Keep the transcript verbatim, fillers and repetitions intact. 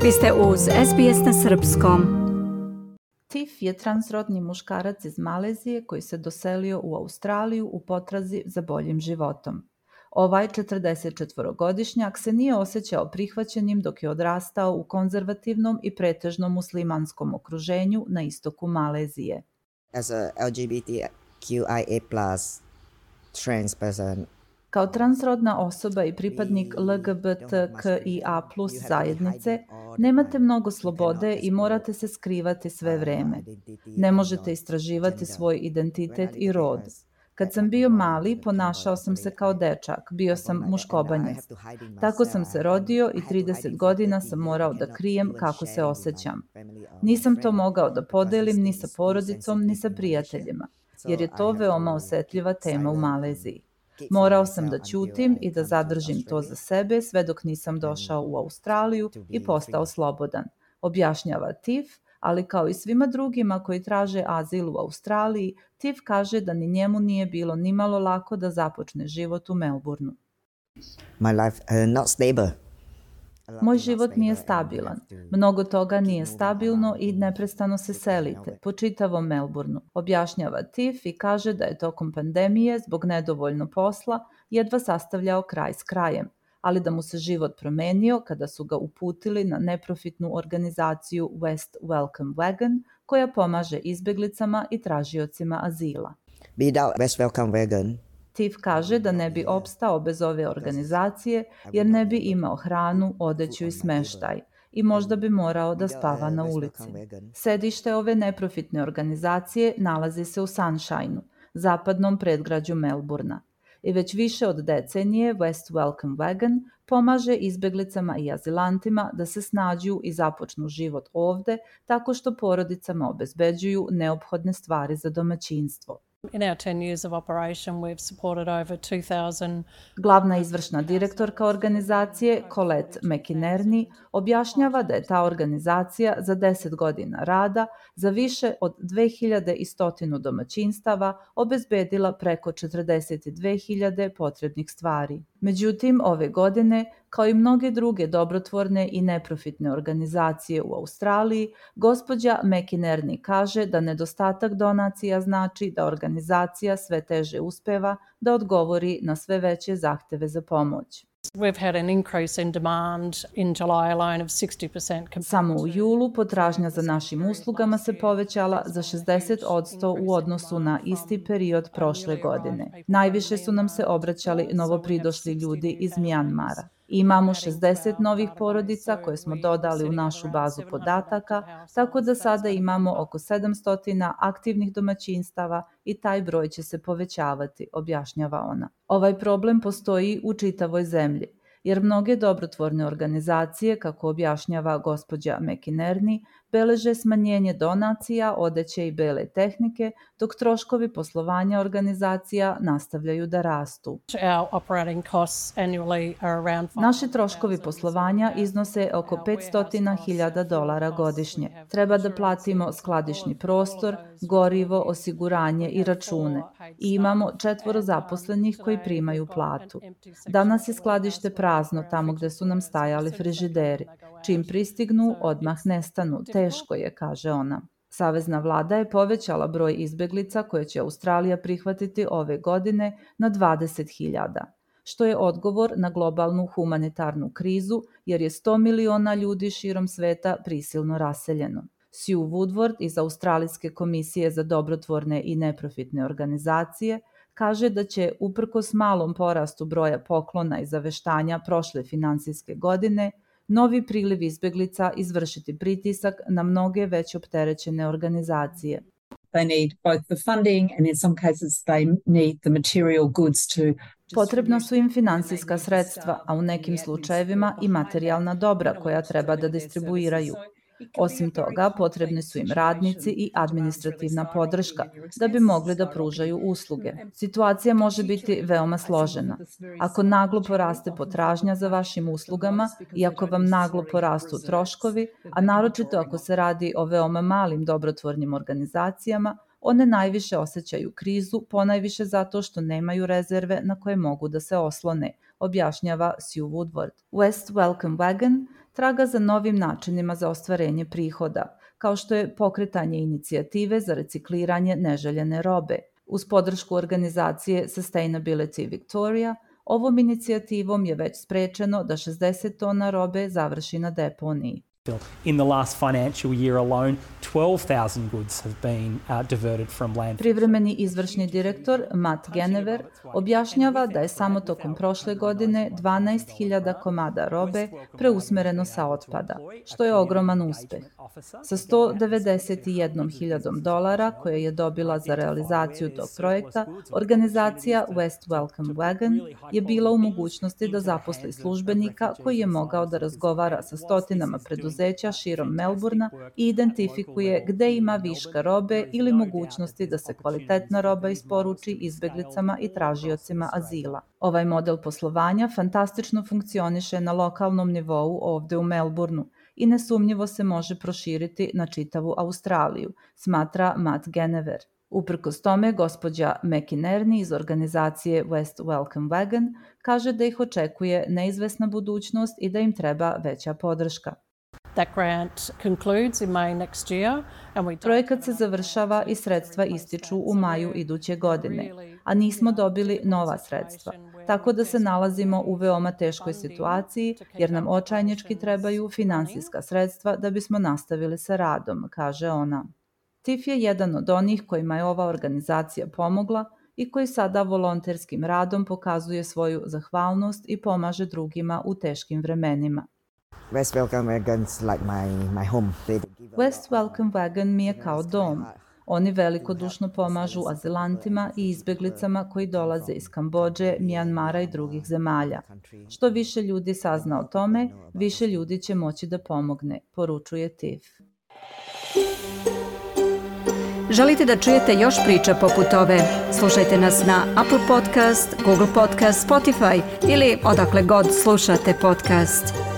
Vi ste uz S B S na srpskom. Tif je transrodni muškarac iz Malezije koji se doselio u Australiju u potrazi za boljim životom. Ovaj četrdesetčetvorogodišnjak se nije osjećao prihvaćenim dok je odrastao u konzervativnom i pretežno muslimanskom okruženju na istoku Malezije. As a L G B T Q I A plus trans person, Kao transrodna osoba i pripadnik L G B T Q I A plus zajednice, nemate mnogo slobode i morate se skrivati sve vreme. Ne možete istraživati svoj identitet i rod. Kad sam bio mali, ponašao sam se kao dečak, bio sam muškobanjac. Tako sam se rodio i trideset godina sam morao da krijem kako se osjećam. Nisam to mogao da podelim ni sa porodicom, ni sa prijateljima, jer je to veoma osetljiva tema u Maleziji. Morao sam da ćutim i da zadržim to za sebe sve dok nisam došao u Australiju i postao slobodan, objašnjava Tif, ali kao i svima drugima koji traže azil u Australiji, Tif kaže da ni njemu nije bilo nimalo lako da započne život u Melbourneu. my life uh, not stable. Moj život nije stabilan. Mnogo toga nije stabilno i neprestano se selite po čitavom Melbourneu, objašnjava Tif i kaže da je tokom pandemije zbog nedovoljno posla jedva sastavljao kraj s krajem, ali da mu se život promenio kada su ga uputili na neprofitnu organizaciju West Welcome Wagon koja pomaže izbeglicama i tražiocima azila. Without West Welcome Wagon, Tif kaže da ne bi opstao bez ove organizacije jer ne bi imao hranu, odeću i smeštaj i možda bi morao da spava na ulici. Sedište ove neprofitne organizacije nalazi se u Sunshineu, zapadnom predgrađu Melbournea. I već više od decenije West Welcome Wagon pomaže izbeglicama i azilantima da se snađu i započnu život ovde tako što porodicama obezbeđuju neophodne stvari za domaćinstvo. In our ten years of operation, we've supported over two thousand. Glavna izvršna direktorka organizacije, Colette McInerney, objašnjava da je ta organizacija za deset godina rada za više od dve hiljade sto domaćinstava obezbedila preko četrdeset dve hiljade potrebnih stvari. Međutim, ove godine, kao i mnoge druge dobrotvorne i neprofitne organizacije u Australiji, gospođa McInerney kaže da nedostatak donacija znači da organizacija sve teže uspeva da odgovori na sve veće zahteve za pomoć. We've had an increase in demand in July alone of sixty percent. Samo u julu potražnja za našim uslugama se povećala za šezdeset posto u odnosu na isti period prošle godine. Najviše su nam se obraćali novopridošli ljudi iz Mjanmara. Imamo šezdeset novih porodica koje smo dodali u našu bazu podataka, tako da sada imamo oko sedamsto aktivnih domaćinstava i taj broj će se povećavati, objašnjava ona. Ovaj problem postoji u čitavoj zemlji, jer mnoge dobrotvorne organizacije, kako objašnjava gospođa McInerney, beleže smanjenje donacija, odeće i bele tehnike, dok troškovi poslovanja organizacija nastavljaju da rastu. Our operating costs annually are around Naši troškovi poslovanja iznose oko petsto hiljada dolara godišnje. Treba da platimo skladišni prostor, gorivo, osiguranje i račune. I imamo četvoro zaposlenih koji primaju platu. Danas je skladište prazno tamo gde su nam stajali frižideri. Čim pristignu, odmah nestanu. Teško je, kaže ona. Savezna vlada je povećala broj izbeglica koje će Australija prihvatiti ove godine na dvadeset hiljada, što je odgovor na globalnu humanitarnu krizu jer je sto miliona ljudi širom sveta prisilno raseljeno. Sue Woodward iz Australijske komisije za dobrotvorne i neprofitne organizacije kaže da će, uprkos malom porastu broja poklona i zaveštanja prošle finansijske godine, novi priliv izbeglica izvršiti pritisak na mnoge već opterećene organizacije. They need both the funding and in some cases they need the material goods to. Potrebna su im finansijska sredstva, a u nekim slučajevima i materijalna dobra koja treba da distribuiraju. Osim toga, potrebni su im radnici i administrativna podrška da bi mogli da pružaju usluge. Situacija može biti veoma složena. Ako naglo poraste potražnja za vašim uslugama i ako vam naglo porastu troškovi, a naročito ako se radi o veoma malim dobrotvornim organizacijama, one najviše osjećaju krizu, ponajviše zato što nemaju rezerve na koje mogu da se oslone, objašnjava Sue Woodward. West Welcome Wagon traga za novim načinima za ostvarenje prihoda, kao što je pokretanje inicijative za recikliranje neželjene robe. Uz podršku organizacije Sustainability Victoria, ovom inicijativom je već sprečeno da šezdeset tona robe završi na deponiji. In the last financial year alone, twelve thousand goods have been uh, diverted from landfill. Privremeni izvršni direktor Matt Genever objašnjava da je samo tokom prošle godine dvanaest hiljada komada robe preusmereno sa otpada, što je ogroman uspeh. Sa sto devedeset jednom hiljadom dolara koje je dobila za realizaciju tog projekta, organizacija West Welcome Wagon je bila u mogućnosti da zaposli službenika koji je mogao da razgovara sa stotinama preduzeća širom Melburna i identifikuje gde ima viška robe ili mogućnosti da se kvalitetna roba isporuči izbeglicama i tražiocima azila. Ovaj model poslovanja fantastično funkcioniše na lokalnom nivou ovde u Melburnu i nesumnjivo se može proširiti na čitavu Australiju, smatra Matt Genever. Uprkos tome, gospođa McInerney iz organizacije West Welcome Wagon kaže da ih očekuje neizvesna budućnost i da im treba veća podrška. That grant concludes in May next year, and we Projekat se završava i sredstva ističu u maju iduće godine, a nismo dobili nova sredstva, tako da se nalazimo u veoma teškoj situaciji jer nam očajnički trebaju finansijska sredstva da bismo nastavili sa radom, kaže ona. T I F je jedan od onih kojima je ova organizacija pomogla i koji sada volonterskim radom pokazuje svoju zahvalnost i pomaže drugima u teškim vremenima. West Welcome Wagon's like my, my home. West Welcome Wagon mi je kao dom. Oni velikodušno pomažu azilantima i izbeglicama koji dolaze iz Kambodže, Mijanmara i drugih zemalja. Što više ljudi sazna o tome, više ljudi će moći da pomogne, poručuje T I F. Želite da čujete još priča poput ove? Slušajte nas na Apple Podcast, Google Podcast, Spotify ili odakle god slušate podcast.